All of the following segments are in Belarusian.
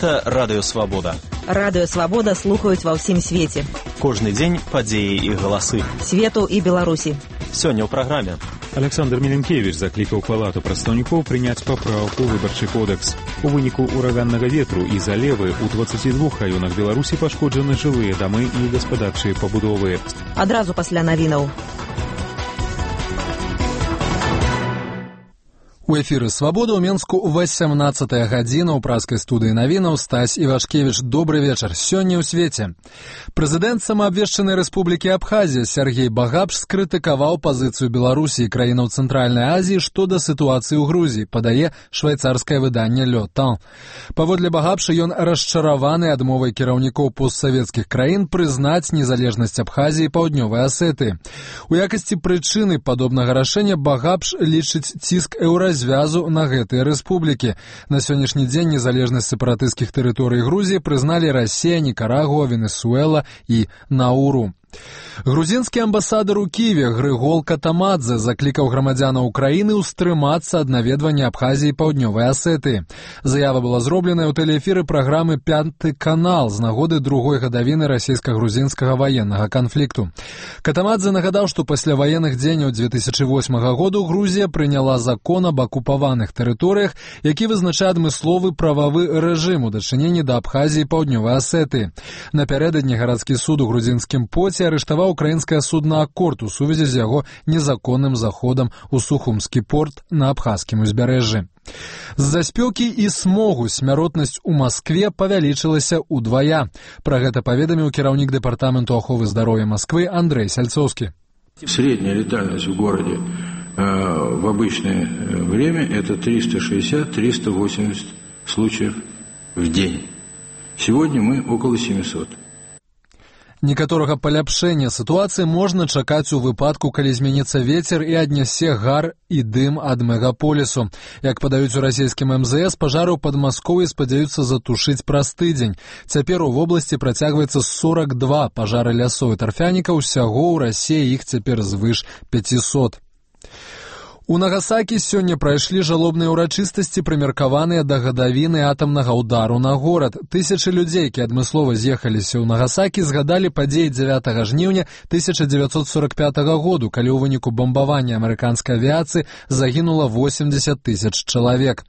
Гэта Радыё Свабода. Радыё Свабода слухаюць ва ўсім свеце. Кожны дзень падзеі і галасы. Свету і Беларусі. Сёння ў праграме. Александр Міленкевіч заклікаў Палату прадстаўнікоў прыняць папраўку ў выбарчы кодекс. У выніку ураганнага ветру і залевы ў 22 раёнах Беларусі пашкоджаны жылыя дамы і гаспадарчыя пабудовы. Адразу пасля навінаў. У эфіры «Свабода» ў Менску 18-я гадзіна ў праскай студыі навінаў. Стась Івашкевіч, добры вечар. Сёння ў свеце. Прэзідэнт самаабвешчанай рэспублікі Абхазія Сергей Багапш скрытыкаваў пазіцыю Беларусі і краінаў Цэнтральнай Азіі што да сітуацыі ў Грузіі, падае швайцарскае выданне «Le Temps». Паводле Багапша ён расчараваны адмовай кіраўнікоў постсавецкіх краін прызнаць незалежнасць Абхазіі і Паўднёвай Асетыі. У якасці прычыны падобнага рашэння Багапш лічыць ціск звязу на гэтыя рэспублікі. На сённяшні дзень незалежнасць сепаратысцкіх тэрыторый Грузіі прызналі Расія, Нікарагуа, Венесуэла і Науру. Грузінскі амбасадар у Кіеве Грыгол Катамадзе заклікаў грамадзянаў Украіны ўстрымацца ад наведвання Абхазіі і Паўднёвай Асетыі. Заява была зробленая ў тэлеэфіры праграмы «Пяты канал» з нагоды другой гадавіны расійска-грузінскага ваеннага канфлікту. Катамадзе нагадаў, што пасля ваенных дзеянняў 2008 году Грузія прыняла закон аб акупаваных тэрыторыях, які вызначае адмысловы прававы рэжым у дачыненні да Абхазіі і Паўднёвай Асетыі. Напярэдадні гарадскі суд у грузінскім поце арыштаваў украінскае судна «Аккорд» у сувязі з яго незаконным заходам у Сухумскі порт на абхазскім узбярэжжы. З-за спёкі і смогу смяротнасць у Маскве павялічылася ўдвая. Пра гэта паведаміў кіраўнік дэпартаменту аховы здароўя Масквы Андрей Сальцоўскі. Средняя летальность в городе в обычное время это 360-380 случаев в день. Сегодня мы около 700. Некаторага паляпшэння сітуацыі можна чакаць у выпадку, калі зменіцца вецер і аднясе гар і дым ад мегаполісу. Як падаюць у расійскім МЗС, пажары ў Падмасков'і спадзяюцца затушыць праз тыдзень. Цяпер у вобласці працягваецца 42 пажары лясоў і тарфяніка, усяго ў Расіі іх цяпер звыш 500. У Нагасакі сёння прайшлі жалобныя ўрачыстасці, прымеркаваныя да гадавіны атамнага ўдару на горад. Тысячы людзей, якія адмыслова з'ехаліся ў Нагасакі, згадалі падзеі 9 жніўня 1945 году, калі ў выніку бамбавання амерыканскай авіяцыі загінула 80 тысяч чалавек.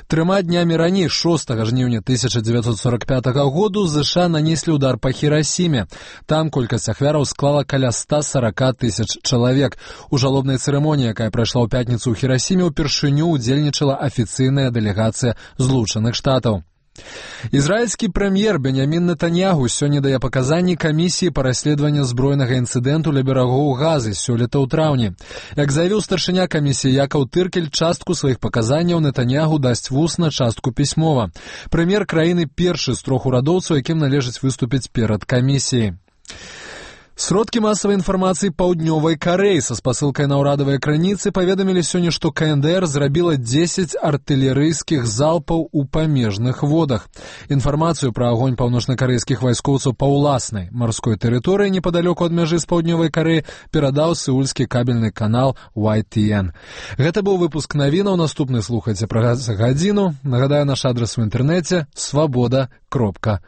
3 днямі раней, 6 жніўня 1945 году, ЗША нанеслі ўдар па Хірасіме. Там колькасць ахвяраў склала каля 140 тысяч чалавек. У жалобнай цырымоніі, якая прайшла ў пятніцу ў Хірасіме, упершыню удзельнічала афіцыйная дэлегацыя Злучаных Штатаў. Ізраільскі прэм'ер Беньямін Нетаньяху сёння дае паказанні камісіі па расследаванні збройнага інцыдэнту ля берагоў Газы сёлета ў траўні. Як заявіў старшыня камісіі Якаў Тыркель, частку сваіх паказанняў Нетаньяху дасць вусна, частку пісьмова. Прэм'ер краіны першы з 3 урадоўцаў, якім належыць выступіць перад камісіяй. Сродкі масавай інфармацыі Паўднёвай Карэі са спасылкай на ўрадавыя крыніцы паведамілі сёння, што КНДР зрабіла 10 артылерыйскіх залпаў у памежных водах. Інфармацыю пра агонь паўночнакарэйскіх вайскоўцаў па ўласнай марской тэрыторыі непадалёку ад мяжы з Паўднёвай Карэі перадаў сеульскі кабельны канал YTN. Гэта быў выпуск навінаў. Наступны слухайце праз гадзіну. Нагадаю, наш адрас у інтэрнэце — swaboda.org.